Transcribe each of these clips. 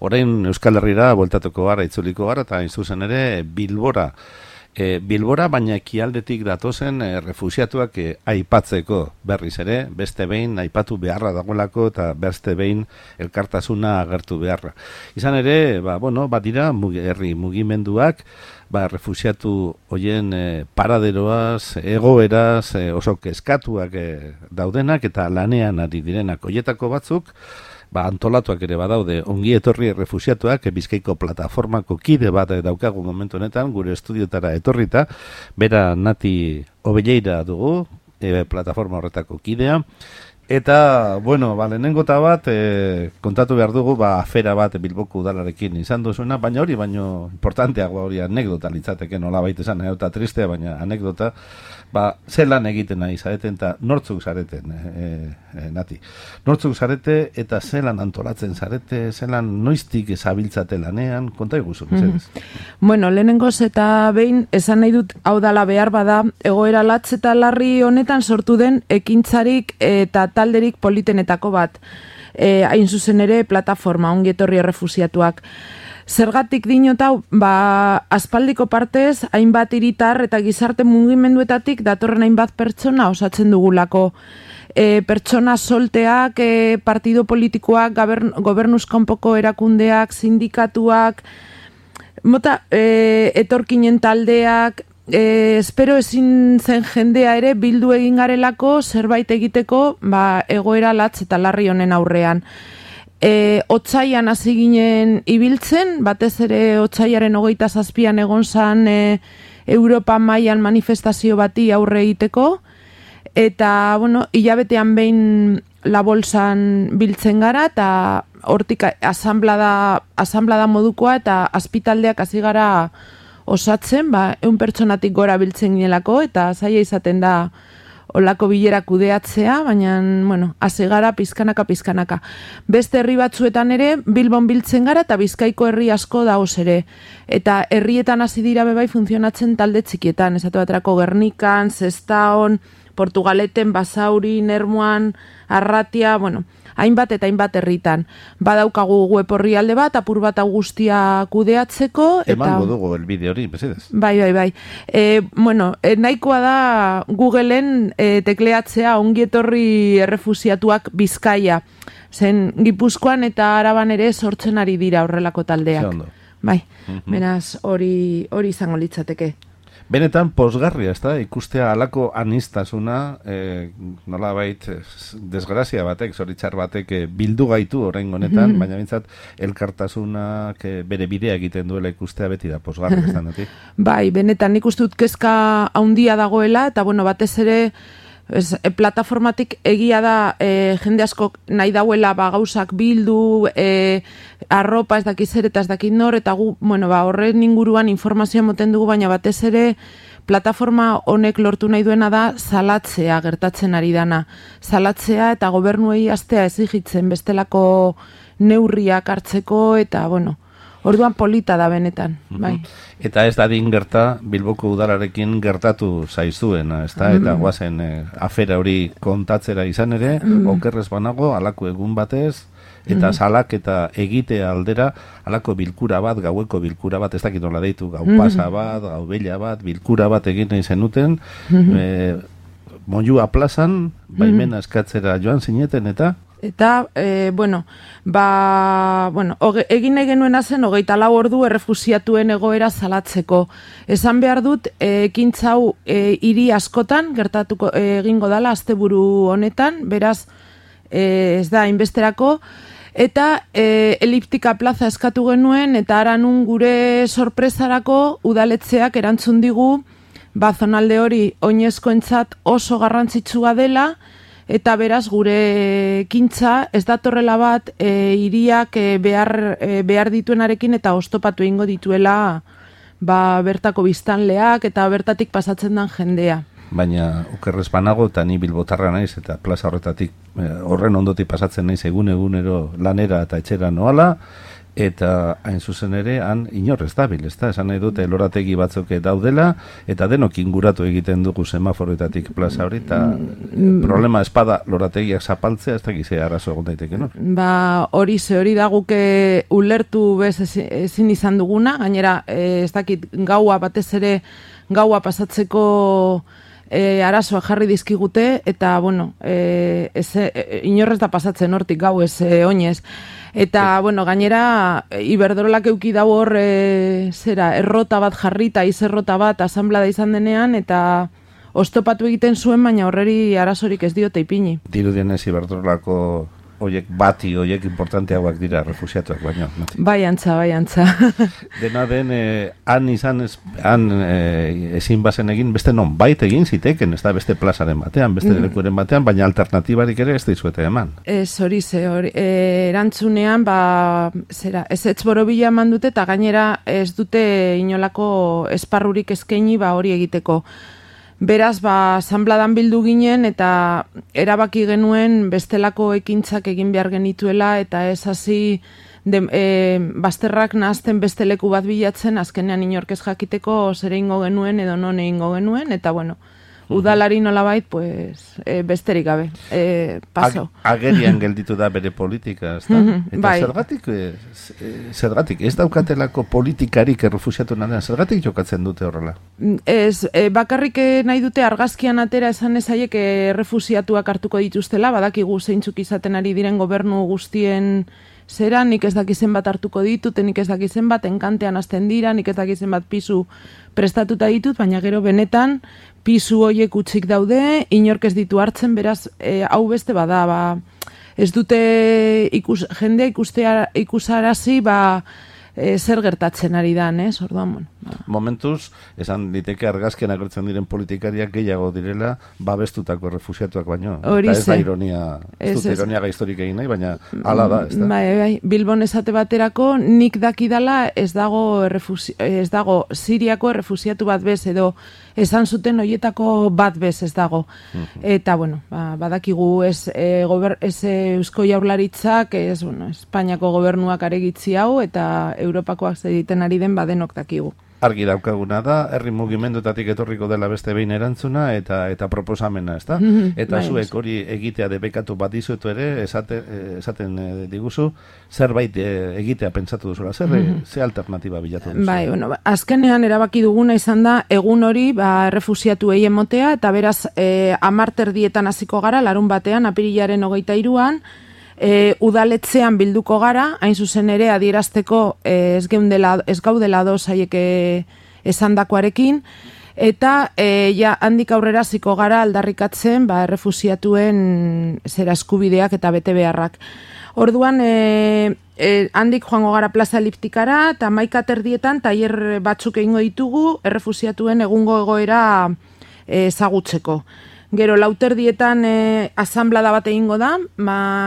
orain Euskal Herrira bueltatuko gara, itzuliko gara, eta hain zuzen ere Bilbora. Bilbora, baina ekialdetik datozen refusiatuak aipatzeko berriz ere, beste behin aipatu beharra dagoelako eta beste behin elkartasuna agertu beharra. Izan ere, dira herri mugimenduak, refusiatu hoien paraderoaz, egoeraz, oso kezkatuak daudenak eta lanean ari direnak. Hoietako batzuk, antolatuak ere badaude, ongi etorri refusiatuak, Bizkaiko plataformako kide bat daukagu momentu honetan, gure estudiotara etorrita, bera Nati Obelleira dugu, plataforma horretako kidea, eta, lehenengo eta bat, kontatu behar dugu, afera bat Bilboko udalarekin izan duzuena, baina hori, importanteagoa hori anekdota litzateke, nola baita esan, eta tristea, baina anekdota, zelan egiten nahi zareten, eta nortzuk zareten, Nati. Nortzuk zarete, eta zelan antolatzen zarete, zelan noiztik ezabiltzate lanean, konta iguzu, mesedez. Lehenengoz eta behin, esan nahi dut, hau dala behar bada, egoera latz eta larri honetan sortu den ekintzarik eta talderik politenetako bat. Hain zuzen ere, plataforma, ongi etorri errefusiatuak. Zergatik dinotau, aspaldiko partez, hainbat hiritar eta gizarte mugimenduetatik datorren hainbat pertsona osatzen dugulako. Pertsona solteak, partido politikoak, gobernuz kanpoko erakundeak, sindikatuak, etorkinen taldeak, espero ezin zen jendea ere bildu egin garelako zerbait egiteko egoera latz eta larri honen aurrean. Otsaian hasi ginen ibiltzen, batez ere otsaiaren 27an egon zan Europa mailan manifestazio bati aurre egiteko, eta, hilabetean behin la bolsan biltzen gara, eta hortik asanblada modukoa, eta azpitaldeak hasi gara osatzen, 100 pertsonatik gora biltzen ginelako, eta zaila izaten da olako bilera kudeatzea, baina, hasi gara pizkanaka. Beste herri batzuetan ere, Bilbon biltzen gara, eta Bizkaiko herri asko dagoz ere. Eta herrietan hasi dira bebai funtzionatzen talde txikietan, esatu baterako Gernikan, Sestaon, Portugaleten, Basaurin, Ermuan, Arratia, hainbat eta hainbat herritan. Badaukagu web orrialde bat, apur bat guztia kudeatzeko. Emango dugu elbide hori, mesedez. Bai. Nahikoa da Googleen tekleatzea ongi etorri errefusiatuak Bizkaia. Zen Gipuzkoan eta Araban ere sortzen ari dira horrelako taldeak. Bai, beraz hori izango litzateke. Benetan pozgarria, ez da, ikustea alako anistasuna, nolabait desgrazia batek, zoritzar batek bildu gaitu orain honetan, baina bintzat elkartasunak bere bidea egiten duela ikustea beti da pozgarria, ez da, Nati? Bai, benetan nik uste dut kezka handia dagoela, eta batez ere plataformatik egia da jende asko nahi dauela gauzak bildu, arropa ez dakiz zer eta ez dakit nor, eta gu, horren inguruan informazioa moten dugu, baina batez ere plataforma honek lortu nahi duena da salatzea gertatzen ari dana. Salatzea eta gobernuei hastea exijitzen bestelako neurriak hartzeko, eta orduan polita da benetan, bai. Eta ez dadin gerta, Bilboko udalarekin gertatu zaizuena, ez da? Eta guazen afera hori kontatzera izan ere, okerrez banago, alako egun batez, eta salak eta egite aldera, alako bilkura bat, gaueko bilkura bat, ez dakit nola deitu, gau pasa bat, gau bella bat, bilkura bat egin nahi zenuten, Moyua plazan, baimena eskatzera joan zineten, eta? Eta, egin nahi genuen zen 24 ordu errefusiatuen egoera salatzeko. Esan behar dut, ekintzau hiri askotan, gertatuko egingo dala asteburu honetan, beraz, ez da, inbesterako, eta eliptika plaza eskatu genuen, eta aranun gure sorpresarako udaletzeak erantzun digu, zonalde hori oinezkoentzat oso garrantzitsua dela, eta beraz gure ekintza ez datorrela bat hiriak behar dituenarekin eta oztopatu egingo dituela bertako biztanleak eta bertatik pasatzen den jendea. Baina okerrez banago eta ni bilbotarra naiz eta plaza horretatik horren ondotik pasatzen naiz egunero lanera eta etxera noala, eta hain zuzen ere, han inor ez dabil, ez da? Esan nahi dute lorategi batzuk daudela, eta denok inguratu egiten dugu semaforoetatik plaza hori, eta problema espada lorategiak zapaltzea, ez da gizea arazo egon daiteke, no? Ba, hori da guke ulertu bez ezin izan duguna, gainera, ez dakit gaua batez ere, gaua pasatzeko arazoa jarri dizkigute, eta, bueno, inorrez da pasatzen hortik gau ez oinez. Eta, bueno, gainera, Iberdrolak euki dago hor, errota bat jarrita, izerrota bat, asanblada izan denean, eta oztopatu egiten zuen, baina horreri arazorik ez diote ipini. Dirudienez Iberdrolako oiek importanteagoak dira refusiatuak baino. Bai antza. Dena den, han ezin bazen egin, beste non bait egin ziteken, ez da beste plazaren batean, beste lekuren batean, baina alternatibarik ere ez dizuete eman. Hori erantzunean, ez borobila eman dute, eta gainera ez dute inolako esparrurik eskaini hori egiteko. Beraz, asanbladan bildu ginen eta erabaki genuen bestelako ekintzak egin behar genituela eta ez hasi bazterrak nahazten beste leku bat bilatzen, azkenean inork ez jakiteko zer egingo genuen edo non egingo genuen, eta bueno, udalari nolabait, besterik gabe, paso. Agerian gelditu da bere politika, ez da? Eta zergatik, ez daukatelako politikarik errefusiatu nadean, zergatik jokatzen dute horrela? Ez, bakarrik nahi dute argazkian atera esan ezaiek errefusiatuak hartuko dituztela, badakigu zeintzuk izaten ari diren gobernu guztien zera, nik ez dakizen bat hartuko ditut, nik ez dakizen bat enkantean hasten dira, nik ez dakizen bat pisu prestatuta ditut, baina gero benetan pisu hoiek utzik daude, inork ez ditu hartzen, beraz, hau beste bada, ez dute jendea ikusarazi, zer gertatzen ari dan, orduan, Momentuz, esan diteke argazkian agertzen diren politikariak gehiago direla, babestutako refusiatuak baino. Eta ez da ironia, ez dut ironia gaiztorik egin nahi, baina hala da, ez da? Bai, Bilbon esate baterako, nik dakidala ez dago Siriako errefusiatu bat bez, edo esan zuten horietako bat bez ez dago. Eta, bueno, badakigu ez Eusko Jaurlaritzak, Espainiako gobernuak aregitzi hau, eta Europakoak egiten ari den badenok dakigu. Argi daukaguna da, herri mugimenduetatik etorriko dela beste behin erantzuna eta proposamena, ez da? Eta zuek hori egitea debekatu bat dizuetu ere, esaten diguzu, zerbait egitea pentsatu duzula, ze alternatiba bilatu duzu? Bai, bueno, azkenean erabaki duguna izan da, egun hori, errefusiatu egin motea, eta beraz, 10 dietan hasiko gara, larun batean, apirilaren 23an, udaletzean bilduko gara, hain zuzen ere adierazteko ez gaudela dozaiek esandakoarekin, eta handik aurrera ziko gara aldarrikatzen errefusiatuen zera eskubideak eta bete beharrak. Orduan, handik joango gara plaza eliptikara, eta 11 tailer batzuk egingo ditugu errefusiatuen egungo egoera ezagutzeko. Gero, 4 asanblada bat egingo da,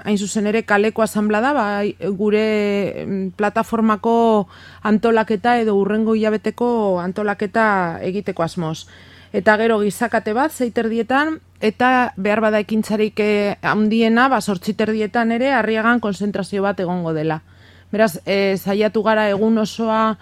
hain zuzen ere kaleko asanblada, gure plataformako antolaketa edo urrengo hilabeteko antolaketa egiteko asmoz. Eta gero gizakate bat, 6 eta behar bada ekintzarik handiena, 8 ere, Arriagan konzentrazio bat egongo dela. Beraz, saiatu gara egun osoa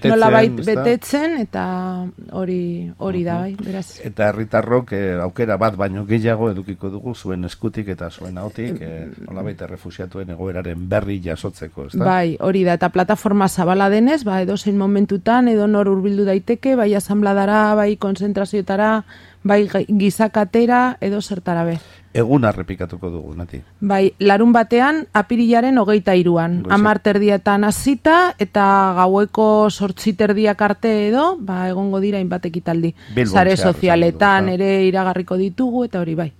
nolabait betetzen, eta hori da, bai, beraz. Eta herritarrok aukera bat baino gehiago edukiko dugu zuen eskutik eta zuen ahotik, nolabait errefusiatuen egoeraren berri jasotzeko, ez da? Bai, hori da, eta plataforma zabala denez, edozein momentutan, edo nor hurbildu daiteke, bai asanbladara, bai konzentrazioetara, bai gizakatera, edo zertara be. Egun errepikatuko dugu, Nati. Bai, larun batean, apirilaren 23an, 10 hasita eta gaueko 8 arte edo, egongo dira hainbat ekitaldi. Sare sozialetan ere iragarriko ditugu, eta hori bai.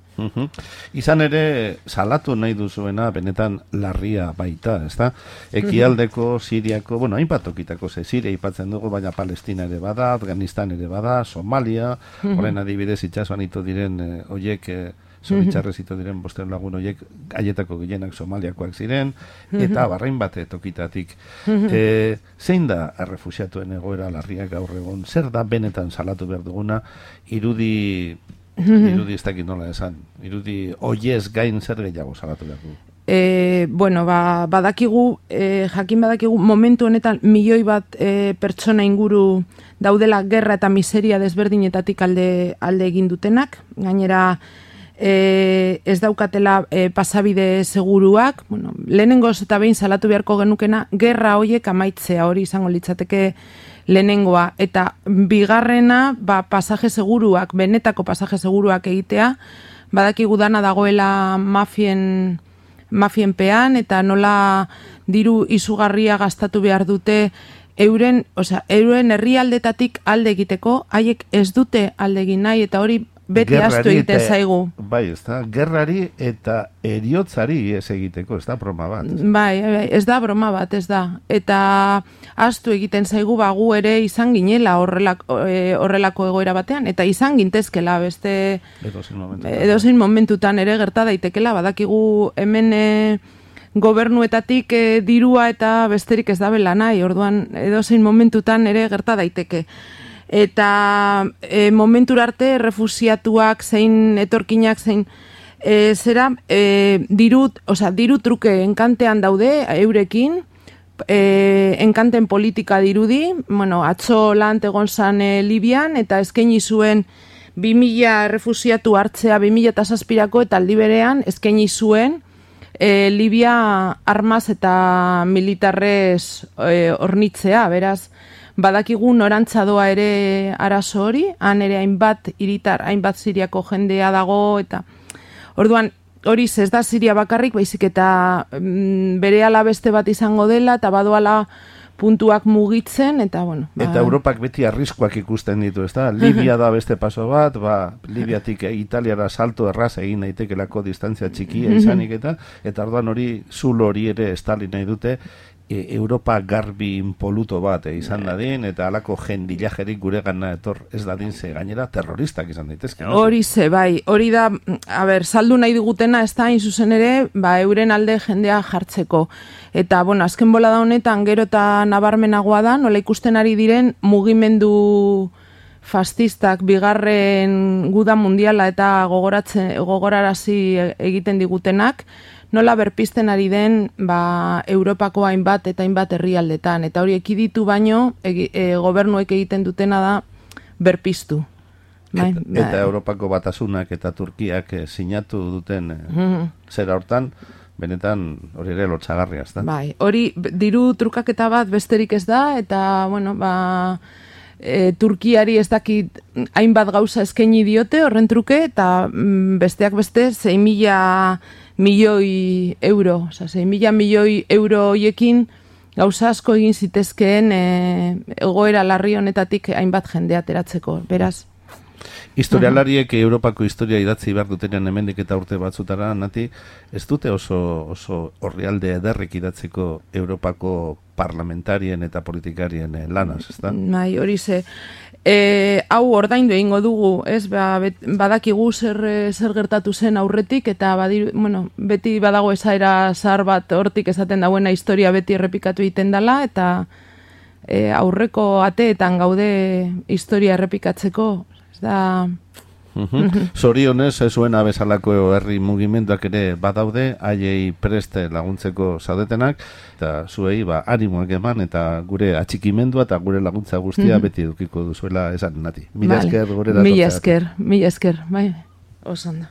Izan ere, salatu nahi duzuena, benetan larria baita, ez da? Ekialdeko, Siriako, hainbat tokitako, Siria aipatzen dugu, baina Palestina ere bada, Afganistan ere bada, Somalia, horren adibidez itxasuan ito diren oiek, zoritxarrez ito diren bosten lagun oiek, aietako gehienak Somaliakoak ziren, eta barrain bate tokitatik. Zein da errefusiatuen egoera larria gaur egon? Zer da benetan salatu behar duguna, irudi ez dakit nola esan, irudi oiez gain zer gehiago salatu behar du? bueno, badakigu, jakin badakigu, momentu honetan milioi bat pertsona inguru daudela gerra eta miseria desberdinetatik alde egin dutenak, gainera ez daukatela pasabide seguruak, bueno, lehenengoz eta behin salatu beharko genukena, gerra hoiek amaitzea, hori izango litzateke lehenengoa, eta bigarrena, pasaje seguruak, benetako pasaje seguruak egitea, badakigu dana dagoela mafienpean, eta nola diru izugarria gastatu behar dute euren herrialdetatik alde egiteko, haiek ez dute alde egin nahi, eta hori beti ahaztu egiten zaigu. Bai, ez da, gerrari eta eriotzari ez egiteko, ez da broma bat. Bai, ez da broma bat, ez da. Eta ahaztu egiten zaigu gu ere izan ginela horrelako egoera batean, eta izan gintezkela beste edozein momentutan ere gerta daitekela, badakigu hemen gobernuetatik dirua eta besterik ez dabela nahi, orduan edozein momentutan ere gerta daiteke. Eta momentura arte refusiatuak zein etorkinak zein diru truke enkantean daude eurekin, enkanten politika dirudi, bueno, atzo lan egon zan Libian eta eskaini zuen 2000 refusiatu hartzea 2007ko eta aldi berean eskaini zuen Libia armaz eta militarrez hornitzea, beraz, badakigu norantza doa ere arazo hori, han ere hainbat Siriako jendea dago, eta orduan hori ez da Siria bakarrik, baizik eta berehala beste bat izango dela, eta badoala puntuak mugitzen, eta bueno. Eta Europak beti arriskoak ikusten ditu, ez da? Libia da beste paso bat, Libiatik Italiara salto erraz egin daitekelako distantzia txikia izanik eta orduan hori zulo hori ere estali nahi dute, Europa garbi impoluto bat izan dadin, eta alako jendilajerik gure gana etor ez dadin ze gainera terroristak izan daitezke. Hori bai, hori da, saldu nahi digutena ez da, hain zuzen ere, euren alde jendea jartzeko. Eta, bueno, azken bola da honetan, gero eta nabarmenagoa da, nola ikusten ari diren mugimendu fascistak bigarren guda mundiala eta gogorarazi egiten digutenak, nola berpizten ari den Europako hainbat eta hainbat herrialdetan. Eta hori ekiditu baino, gobernuek egiten dutena da berpiztu. Eta Europako Batasunak eta Turkiak sinatu duten zera hortan, benetan hori ere lotxagarria, ez da? Bai, hori diru trukaketa bat besterik ez da, eta, bueno, Turkiari ez dakit hainbat gauza eskaini diote horren truke, eta besteak beste 6.000 milioi euro, 6.000 milioi euro hoiekin gauza asko egin zitezkeen egoera larri honetatik hainbat jendea ateratzeko, beraz. Historialariek Europako historia idatzi behar dutenean hemendik eta urte batzutara, Nati, ez dute oso orrialde ederrek idatzeko Europako parlamentarien eta politikarien lanaz, ez da? Bai, hori ze. Hau ordaindu egingo dugu, ez? Badakigu zer gertatu zen aurretik, eta beti badago esaera zahar bat hortik esaten dauena historia beti errepikatu egiten dela, eta aurreko ateetan gaude historia errepikatzeko, ez da... Zorionez, zuena bezalako herri mugimenduak ere badaude, haiei preste laguntzeko zaudetenak, eta zuei animoak eman, eta gure atxikimendua eta gure laguntza guztia beti edukiko duzuela esan, Nati. Mila esker gure datortzea. Mila esker, bai, oso ondo.